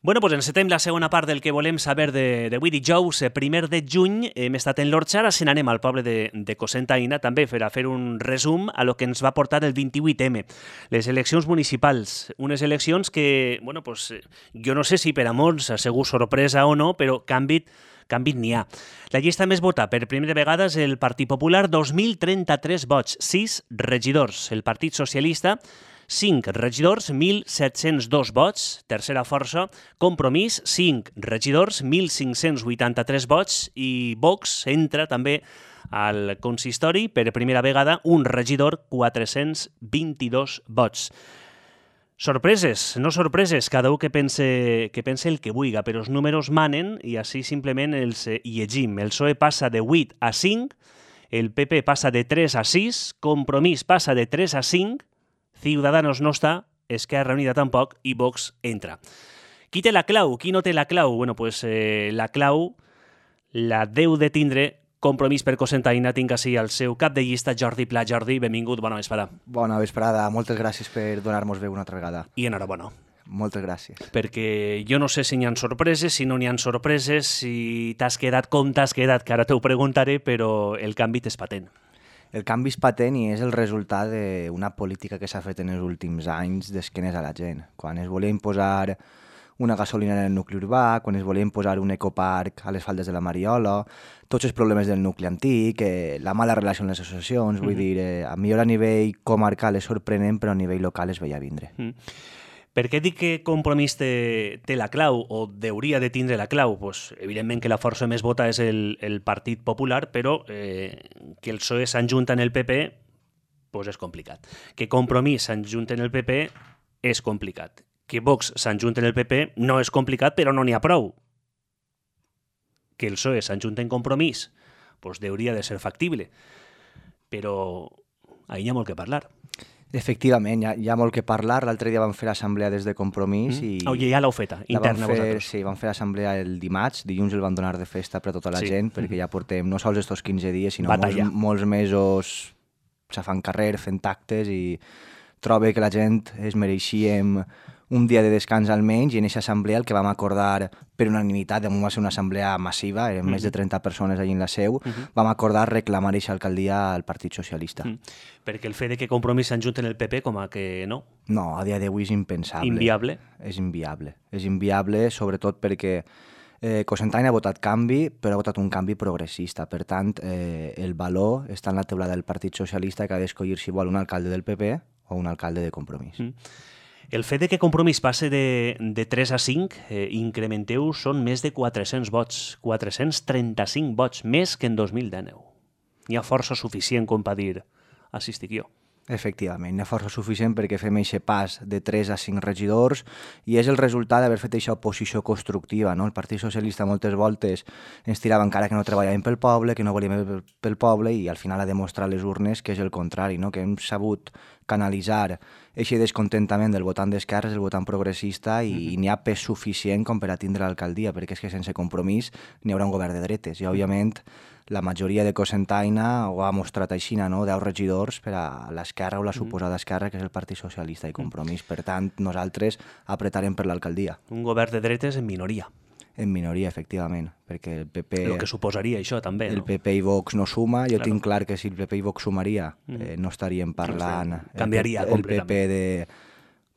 Bueno, doncs encetem la segona part del que volem saber d'avui dijous, 1 de juny. Hem estat en l'Orxa, ara se n'anem al poble de Cocentaina, també per a fer un resum a lo que ens va portar el 28M. Les eleccions municipals, unes eleccions que, bueno, pues, jo no sé si per a molts ha sigut sorpresa o no, però canvi n'hi ha. La llista més vota per primera vegada és el Partit Popular, 2.033 vots, 6 regidors. El Partit Socialista, 5 regidors, 1.702 vots, tercera força. Compromís, 5 regidors, 1.583 vots, i Vox entra també al consistori per primera vegada, un regidor, 422 vots. Sorpreses, no sorpreses, cada un que pense el que vulgui, però els números manen i així simplement els llegim. El PSOE passa de 8 a 5, el PP passa de 3 a 6, Compromís passa de 3 a 5, Ciudadanos no està, Esquerra Unida tampoc, i Vox entra. Qui té la clau? Qui no té la clau? Bueno, pues la clau la deu de tindre Compromís per Cocentaina. Tinc així el seu cap de llista, Jordi Pla. Jordi, benvingut, bona vesprada. Bona vesprada, moltes gràcies per donar-nos veu una altra vegada. I enhorabona. Moltes gràcies. Perquè jo no sé si n'hi ha sorpreses, si no n'hi ha sorpreses, si t'has quedat com t'has quedat, que ara t'ho preguntaré, però el canvi és patent. El canvi és patent i és el resultat d'una política que s'ha fet en els últims anys d'esquenes a la gent. Quan es volia imposar una gasolinera en el nucli urbà, quan es volia imposar un ecoparc a les faldes de la Mariola, tots els problemes del nucli antic, la mala relació amb les associacions, vull dir, millor a nivell comarcal és sorprenent, però a nivell local es veia vindre. Per què dic que Compromís té la clau, o hauria de tindre la clau? Pues, evidentment que la força més vota és el Partit Popular, però que el PSOE s'enjunta en el PP pues és complicat. Que Compromís s'enjunta en el PP és complicat. Que Vox s'enjunta en el PP no és complicat, però no n'hi ha prou. Que el PSOE s'enjunta en Compromís pues hauria de ser factible. Però ahí hi ha molt que parlar. Efectivament, hi ha molt que parlar. L'altre dia vam fer l'assemblea des de Compromís i... Ja l'heu feta, interna vosaltres. Sí, vam fer l'assemblea el dimarts, dilluns el van donar de festa per a tota la gent, perquè ja portem no sols estos 15 dies, sinó molts mesos fan carrer, fent actes, i trobo que la gent es mereixíem un dia de descans almenys, i en aquesta assemblea el que vam acordar per unanimitat, de moment va ser una assemblea massiva, eren més de 30 persones allà en la seu, vam acordar reclamar aquesta alcaldia al Partit Socialista. Perquè el fet de que Compromís s'enjunti en el PP com a que no? No, a dia d'avui és impensable. Inviable? És inviable. És inviable, sobretot perquè Cocentaina ha votat canvi, però ha votat un canvi progressista. Per tant, el valor està en la teulada del Partit Socialista, que ha d'escollir si vol un alcalde del PP o un alcalde de Compromís. El fet de que Compromís passe de 3 a 5, incrementeu, són més de 400 vots, 435 vots, més que en 2019. Hi ha força suficient com per dir, així estic jo. Efectivament, hi ha força suficient perquè fem aquest pas de 3 a 5 regidors, i és el resultat d'haver fet aquesta oposició constructiva, no? El Partit Socialista moltes voltes ens tirava encara que no treballàvem pel poble, que no volíem pel poble, i al final ha demostrat les urnes que és el contrari, no? Que hem sabut canalitzar aquest descontentament del votant d'esquerres, el votant progressista, i n'hi ha pes suficient com per a tindre l'alcaldia, perquè és que sense Compromís n'hi haurà un govern de dretes, i òbviament la majoria de Cocentaina ho ha mostrat així, no? 10 regidors per a l'esquerra o la suposada esquerra, que és el Partit Socialista i Compromís. Per tant, nosaltres apretarem per l'alcaldia. Un govern de dretes en minoria. En minoria, efectivament, perquè el PP... El que suposaria això, també, no? El PP i Vox no suma. Jo tinc clar que si el PP i Vox sumaria, no estaríem parlant... Canviaria completament. El PP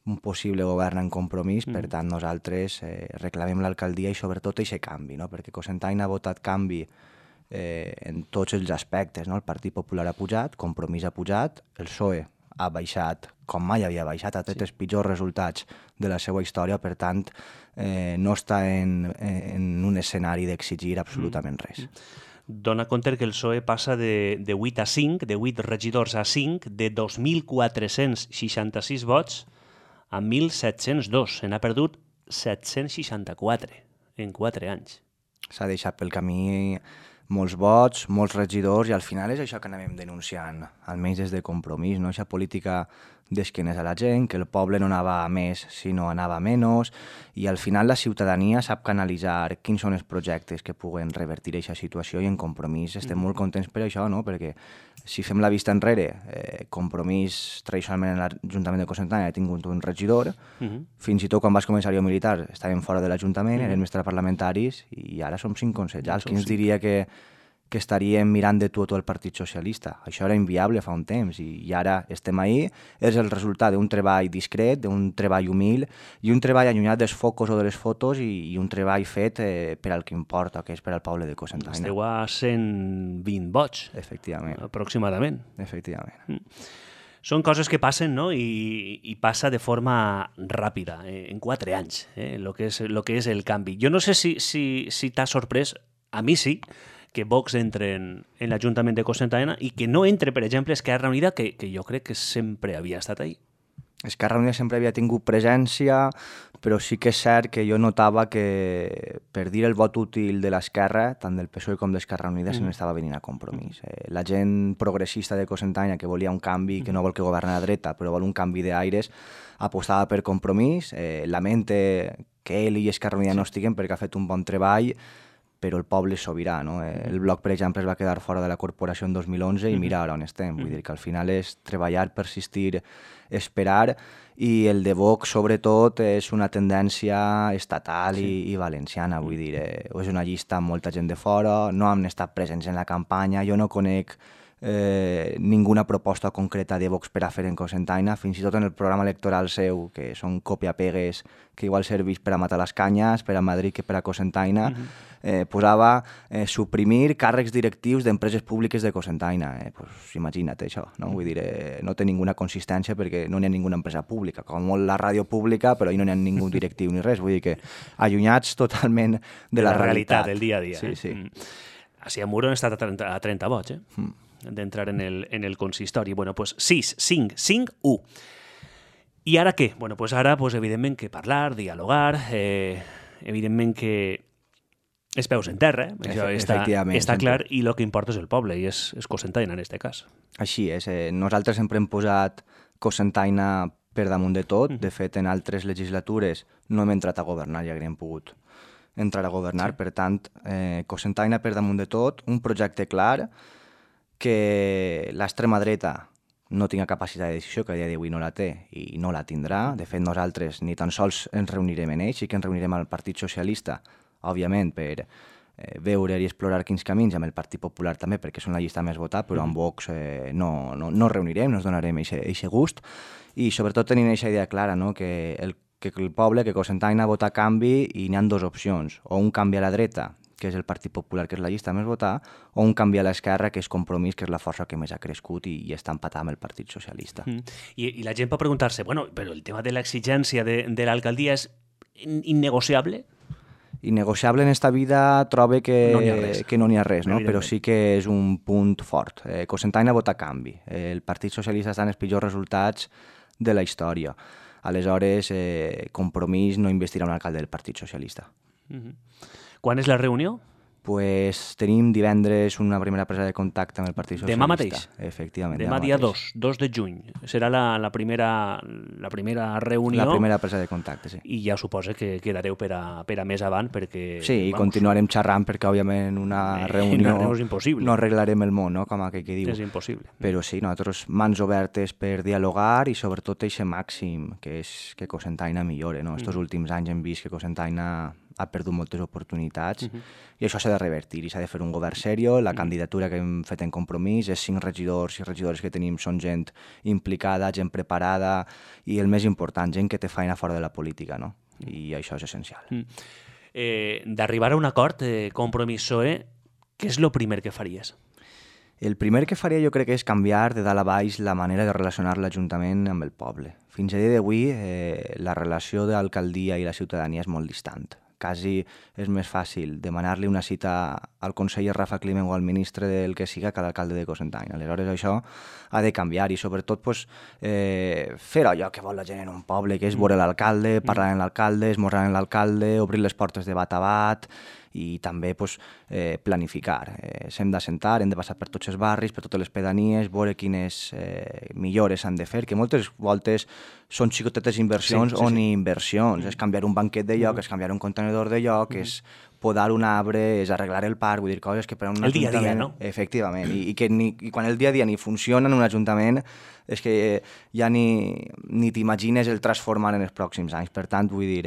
d'un possible govern en Compromís, per tant, nosaltres reclamem l'alcaldia i sobretot aquest canvi, no? Perquè Cocentaina ha votat canvi en tots els aspectes, no? El Partit Popular ha pujat, Compromís ha pujat, el PSOE ha baixat com mai havia baixat, ha tret els pitjors resultats de la seva història, per tant, no està en un escenari d'exigir absolutament res. Dona compte que el PSOE passa de 8 a 5, de 8 regidors a 5, de 2.466 vots a 1.702. Se n'ha perdut 764 en 4 anys. S'ha deixat pel camí molts vots, molts regidors, i al final és això que anem denunciant, almenys des de Compromís, no? Aquesta política d'esquenes a la gent, que el poble no anava a més sinó anava a menys, i al final la ciutadania sap canalitzar quins són els projectes que puguen revertir aquesta situació, i en Compromís estem molt contents per això, no? Perquè si fem la vista enrere, Compromís tradicionalment en l'Ajuntament de Cocentaina ha tingut un regidor, fins i tot quan vas començar jo militar estàvem fora de l'Ajuntament, érem extraparlamentaris, i ara som 5 consellers. Qui ens diria que estaríem mirant de tu a tu el Partit Socialista? Això era inviable fa un temps, i ara estem ahí. És el resultat d'un treball discret, d'un treball humil, i un treball allunyat dels focus o de les fotos, i un treball fet per al que importa, que és per al poble de Cocentaina. Esteu a 120 vots, efectivament, aproximadament. Efectivament. Són coses que passen, no? I passa de forma ràpida, en 4 anys, lo que és el canvi. Jo no sé si t'ha sorprès, a mi sí, que Vox entre en l'Ajuntament de Cocentaina i que no entre, per exemple, Esquerra Unida, que jo crec que sempre havia estat ahí. Esquerra Unida sempre havia tingut presència, però sí que és cert que jo notava que per dir el vot útil de l'Esquerra, tant del PSOE com d'Esquerra Unida, se n'estava venint a Compromís. La gent progressista de Cocentaina, que volia un canvi, que no vol que governi la dreta, però vol un canvi d'aires, apostava per Compromís. Lamente que ell i Esquerra Unida no estiguen perquè ha fet un bon treball, però el poble és sobirà, no? El Bloc, per exemple, es va quedar fora de la corporació en 2011 i mira ara on estem. Vull dir que al final és treballar, persistir, esperar, i el de Vox, sobretot, és una tendència estatal i valenciana. Vull dir, és una llista amb molta gent de fora, no han estat presents en la campanya, jo no conec ninguna proposta concreta de Vox per a fer en Cocentaina, fins i tot en el programa electoral seu, que són còpia-pegues que igual serveix per a matar les canyes, per a Madrid que per a Cocentaina, posava suprimir càrrecs directius d'empreses públiques de Cocentaina. Pues imagina't això, no? Vull dir, no té ninguna consistència perquè no n'hi ha ninguna empresa pública, com molt la ràdio pública, però ahí no n'hi ha ningú directiu ni res, vull dir que allunyats totalment de la realitat. Del dia a dia. Sí, sí. Així a Muro han estat a 30 vots, d'entrar en el consistori. Bueno, pues 6, 5, 5, 1. I ara què? Bueno, pues ara, pues, evidentment que parlar, dialogar, evidentment que els peus en terra, això està clar, i el que importa és el poble, i és Cocentaina en aquest cas. Així és. Nosaltres sempre hem posat Cocentaina per damunt de tot. De fet, en altres legislatures no hem entrat a governar, ja hauríem pogut entrar a governar. Per tant, Cocentaina per damunt de tot, un projecte clar, que l'extrema dreta no tinga capacitat de decisió, que a dia d'avui no la té i no la tindrà. De fet, nosaltres ni tan sols ens reunirem en ells, sí que ens reunirem al Partit Socialista, òbviament, per veure i explorar quins camins, amb el Partit Popular també, perquè són la llista més votada, però amb Vox no reunirem, no ens donarem aquest gust, i sobretot tenim aquesta idea clara, no? que el poble, que Cocentaina vota canvi, i n'hi ha 2 opcions, o un canvi a la dreta, que és el Partit Popular, que és la llista més votada, o un canvi a l'esquerra, que és Compromís, que és la força que més ha crescut i està empatada amb el Partit Socialista. I la gent pot preguntar-se, bueno, però el tema de l'exigència de l'alcaldia és innegociable? Innegociable en esta vida trobe que no n'hi ha res, no? Però sí que és un punt fort. Cocentaina vota canvi. El Partit Socialista està en els pitjors resultats de la història. Aleshores, Compromís no investirà un alcalde del Partit Socialista. Quan és la reunió? Pues tenim divendres una primera presa de contacte amb el Partit Socialista. Demà mateix? Efectivament. Demà dia 2 de juny. Serà la primera reunió. La primera presa de contacte, sí. I ja suposa que quedareu per a més avant, perquè... Sí, i continuarem xerrant, perquè òbviament una reunió és impossible. No arreglarem el món, no? Com aquell que diu. És impossible. Però sí, nosaltres mans obertes per dialogar, i sobretot aquest màxim, que és que Cocentaina millore, no? Estos últims anys hem vist que Cocentaina ha perdut moltes oportunitats, i això s'ha de revertir, i s'ha de fer un govern seriós. La candidatura que hem fet en Compromís és 5 regidors i regidores que tenim, són gent implicada, gent preparada, i el més important, gent que té feina fora de la política, no? I això és essencial. D'arribar a un acord, Compromís-PSOE, què és el primer que faries? El primer que faria jo crec que és canviar de dalt a baix la manera de relacionar l'Ajuntament amb el poble. Fins a dia d'avui la relació de l'alcaldia i la ciutadania és molt distant. Quasi és més fàcil demanar-li una cita al conseller Rafa Climent o al ministre del que siga que a l'alcalde de Cocentaina. Aleshores això ha de canviar, i sobretot fer allò que vol la gent en un poble, que és veure l'alcalde, parlar amb l'alcalde, esmorzar amb l'alcalde, obrir les portes de bat a bat, i també pues, planificar. S'hem d'assentar, hem de passar per tots els barris, per totes les pedanies, veure quines millores s'han de fer, que moltes voltes són xicotetes inversions o ni inversions. És canviar un banquet de lloc, és canviar un contenedor de lloc, és podar un arbre, és arreglar el parc, vull dir, coses que per a un ajuntament... El dia a dia, no? Efectivament, i quan el dia a dia ni funciona en un ajuntament és que ja ni t'imagines el transformar en els pròxims anys. Per tant, vull dir,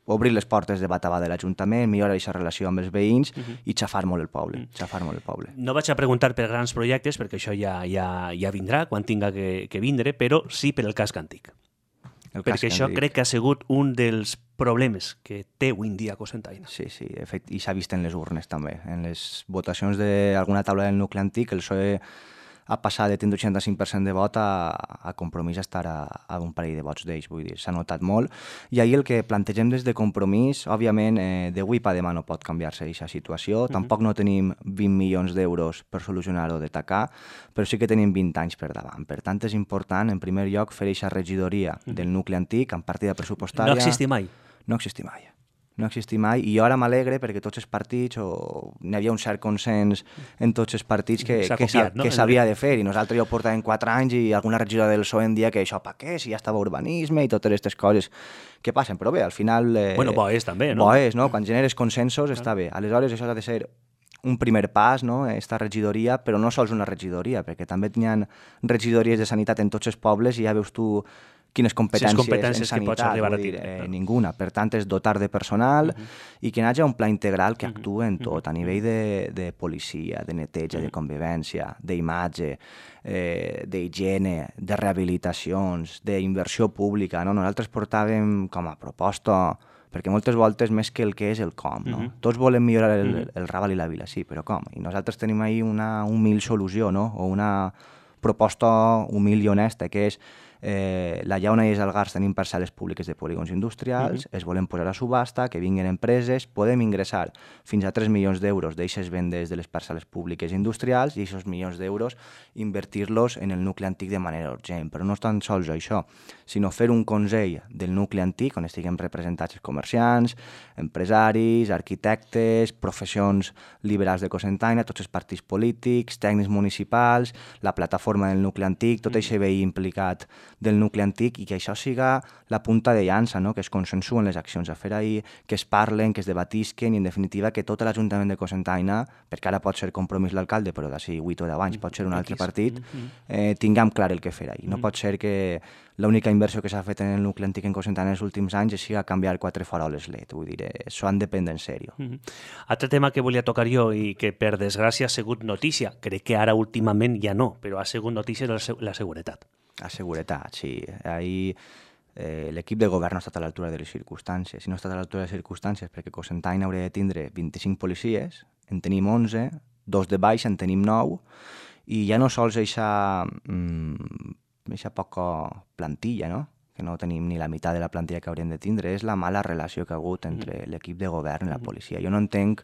obrir les portes de bat a bat de l'Ajuntament, millorar aquesta relació amb els veïns i xafar molt el poble, xafar molt el poble. No vaig a preguntar per grans projectes, perquè això ja vindrà quan tinga que vindre, però sí per el casc antic. Perquè això crec que ha sigut un dels problemes que té avui en dia Cocentaina. Sí, i s'ha vist en les urnes també. En les votacions d'alguna taula del nucli antic, el PSOE ha passat de tindre 85% de vot a Compromís a estar a un parell de vots d'ells, vull dir, s'ha notat molt. I ahir el que plantegem des de Compromís, òbviament, d'avui per demà no pot canviar-se aquesta situació, tampoc no tenim 20 milions d'euros per solucionar-ho de tacar, però sí que tenim 20 anys per davant. Per tant, és important, en primer lloc, fer aquesta regidoria del nucli antic amb partida pressupostària. No existi mai. No existi mai. No existi mai, i jo ara m'alegre perquè tots els partits, n'hi havia un cert consens en tots els partits que s'havia de fer, i nosaltres ja ho portàvem 4 anys i alguna regidora del PSOE em dia que això per què, si ja estava urbanisme i totes aquestes coses que passen, però bé, al final... Bueno, bo és també, no? Bo és, no? Quan generes consensos està bé. Aleshores, això ha de ser un primer pas, no?, esta regidoria, però no sols una regidoria, perquè també hi ha regidories de sanitat en tots els pobles i ja veus tu quines competències en sanitat, vull dir, ninguna. Per tant, és dotar de personal i que hi hagi un pla integral que actuï en tot, a nivell de policia, de neteja, de convivència, d'imatge, d'higiene, de rehabilitacions, d'inversió pública. No? Nosaltres portàvem com a proposta, perquè moltes voltes més que el que és el com. No? Tots volem millorar el Raval i la Vila, sí, però com? I nosaltres tenim ahir una humil solució, no? O una proposta humil i honesta, que és la Llauna i els Algars tenim parcel·les públiques de polígons industrials, es volen posar a subhasta, que vinguin empreses, podem ingressar fins a 3 milions d'euros d'eixes vendes de les parcel·les públiques industrials i aquests milions d'euros invertir-los en el nucli antic de manera urgent. Però no és tan sols això, sinó fer un consell del nucli antic on estiguem representats els comerciants, empresaris, arquitectes, professions liberals de Cocentaina, tots els partits polítics, tècnics municipals, la plataforma del nucli antic, tot això veí implicat del nucli antic, i que això siga la punta de llança, no? Que es consensuen les accions a fer ahir, que es parlen, que es debatisquen i, en definitiva, que tot l'Ajuntament de Cocentaina, perquè ara pot ser Compromís l'alcalde, però d'ací 8 o 10 anys pot ser un altre partit, tinguem clar el que fer ahir. No pot ser que l'única inversió que s'ha fet en el nucli antic en Cocentaina en els últims anys sigui canviar 4 faroles LED. Vull dir, això han de prendre en sèrio. Altre tema que volia tocar jo i que, per desgràcia, ha sigut notícia, crec que ara últimament ja no, però ha sigut notícia la seguretat. La seguretat, sí. Ahir l'equip de govern no ha estat a l'altura de les circumstàncies. Si no ha estat a l'altura de les circumstàncies, perquè Cocentaina hauria de tindre 25 policies, en tenim 11, 2 de baix, en tenim 9, i ja no sols eixa poca plantilla, no?, que no tenim ni la meitat de la plantilla que hauríem de tindre, és la mala relació que ha hagut entre l'equip de govern i la policia. Jo no entenc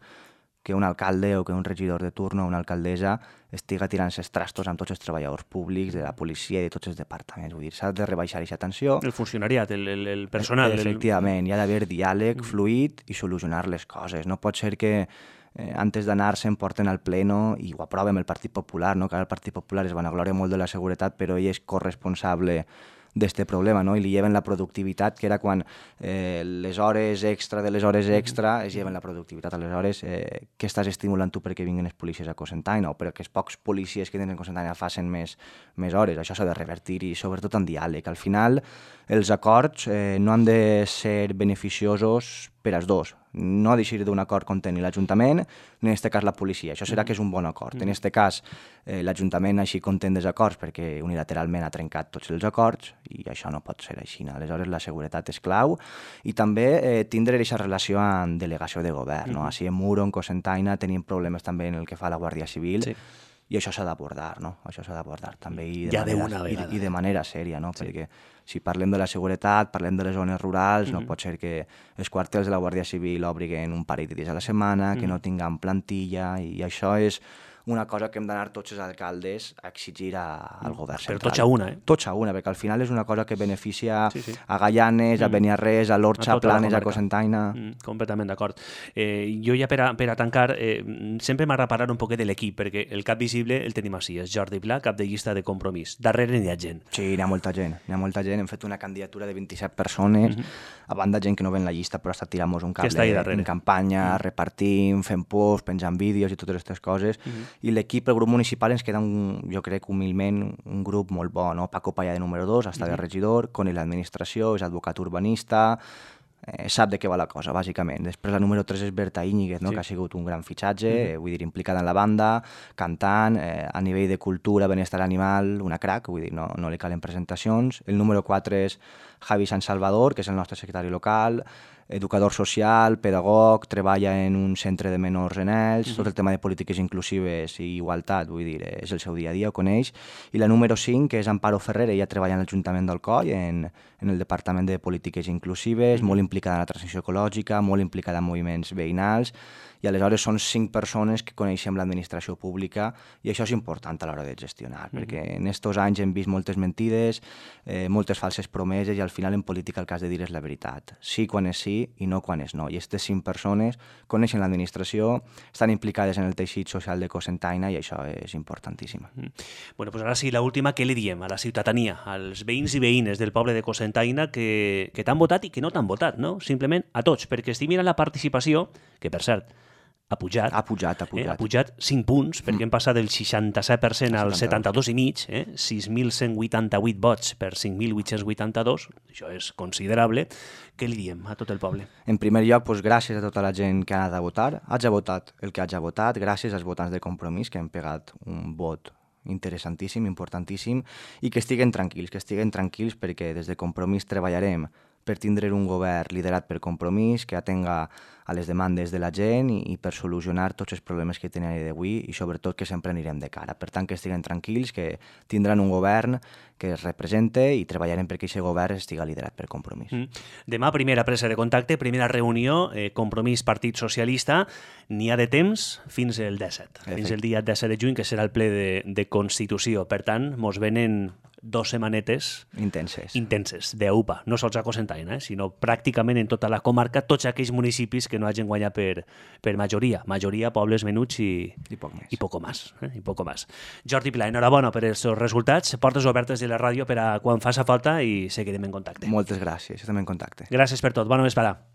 que un alcalde o que un regidor de turno o una alcaldessa estiga tirant-se els trastos amb tots els treballadors públics, de la policia i de tots els departaments. Vull dir, s'ha de rebaixar aquesta tensió. El funcionariat, el personal. Efectivament, hi ha d'haver diàleg fluid i solucionar les coses. No pot ser que antes d'anar-se'n porten al pleno i ho aproven el Partit Popular, no? Que ara el Partit Popular es vanagloria molt de la seguretat, però ell és corresponsable d'este problema, no? I li lleven la productivitat, que era quan les hores extra de les hores extra es lleven la productivitat. Aleshores, què estàs estimulant tu perquè vinguin els policies a Cocentaina o perquè els pocs policies que tenen a Cocentaina facin més hores? Això s'ha de revertir, i sobretot en diàleg. Al final, els acords no han de ser beneficiosos per als dos. No ha d'eixir d'un acord content ni l'Ajuntament, ni en aquest cas la policia. Això serà que és un bon acord. En aquest cas, l'Ajuntament així content dels acords perquè unilateralment ha trencat tots els acords, i això no pot ser així. Aleshores, la seguretat és clau, i també tindre aquesta relació amb delegació de govern. No? Així en Muro, en Cocentaina, tenim problemes també en el que fa la Guàrdia Civil, sí. I això s'ha d'abordar, no? Això s'ha d'abordar també i de manera sèria, no? Sí. Perquè si parlem de la seguretat, parlem de les zones rurals, no pot ser que els quartels de la Guàrdia Civil obriguen un parell de dies a la setmana, que no tinguem plantilla, i això és una cosa que hem d'anar tots els alcaldes a exigir al govern central. Però tots a una, Tots a una, perquè al final és una cosa que beneficia a Gaianes, a Beniarrés, a l'Orxa, a Planes, a Cocentaina... Completament d'acord. Jo ja per a tancar, sempre m'ha reparat un poquet de l'equip, perquè el cap visible el tenim així, és Jordi Pla, cap de llista de Compromís. Darrere n'hi ha gent. Sí, n'hi ha molta gent. Hem fet una candidatura de 27 persones, a banda gent que no ve en la llista, però està tirant-nos un cable en campanya, repartim, fem posts, penjant vídeos i totes aquestes coses. I l'equip, el grup municipal, ens queda, jo crec, humilment, un grup molt bo, no? Paco Paya de número 2, està de regidor, Conil l'administració, és advocat urbanista, sap de què va la cosa, bàsicament. Després la número 3 és Berta Íñiguez, no? Que ha sigut un gran fitxatge, vull dir, implicada en la banda, cantant, a nivell de cultura, benestar animal, una crac, vull dir, no li calen presentacions. El número 4 és Javi San Salvador, que és el nostre secretari local, educador social, pedagog, treballa en un centre de menors en ells, tot el tema de polítiques inclusives i igualtat, vull dir, és el seu dia a dia, ho coneix. I la número 5, que és Amparo Ferrer, ella treballa en l'Ajuntament d'Alcoi, en el Departament de Polítiques Inclusives, molt implicada en la transició ecològica, molt implicada en moviments veïnals, i aleshores són 5 persones que coneixem l'administració pública i això és important a l'hora de gestionar, perquè en aquests anys hem vist moltes mentides, moltes falses promeses i al final en política el que has de dir és la veritat. Sí quan és sí i no quan és no. I aquestes 5 persones coneixen l'administració, estan implicades en el teixit social de Cocentaina i això és importantíssim. Bueno, pues ara sí, l'última, què li diem a la ciutadania, als veïns i veïnes del poble de Cocentaina que t'han votat i que no t'han votat, no? Simplement a tots, perquè estic mirant la participació, que per cert, ha pujat. Ha pujat. Ha pujat 5 punts, perquè hem passat del 67% al 72,5%, 6.188 vots per 5.882, això és considerable. Què li diem a tot el poble? En primer lloc, doncs, gràcies a tota la gent que ha anat a votar. Haig votat el que haig votat, gràcies als votants de Compromís, que han pegat un vot interessantíssim, importantíssim, i que estiguen tranquils perquè des de Compromís treballarem per tindre un govern liderat per Compromís, que atenga a les demandes de la gent i per solucionar tots els problemes que tenen a dia d'avui i sobretot que sempre anirem de cara. Per tant, que estiguen tranquils, que tindran un govern que es represente i treballarem perquè aquest govern estiga liderat per Compromís. Demà, primera presa de contacte, primera reunió, Compromís Partit Socialista, n'hi ha de temps fins el 17, fins el dia 17 de juny, que serà el ple de Constitució. Per tant, mos venen 2 setmanetes intenses d'UPA, no sols a Cocentaina, sinó pràcticament en tota la comarca, tots aquells municipis que no hagin guanyat per majoria, pobles menuts i poco más. Jordi Pla, enhorabona per els resultats, portes obertes de la ràdio per a quan faça falta i seguirem en contacte. Moltes gràcies, estem en contacte. Gràcies per tot, bona vesprada.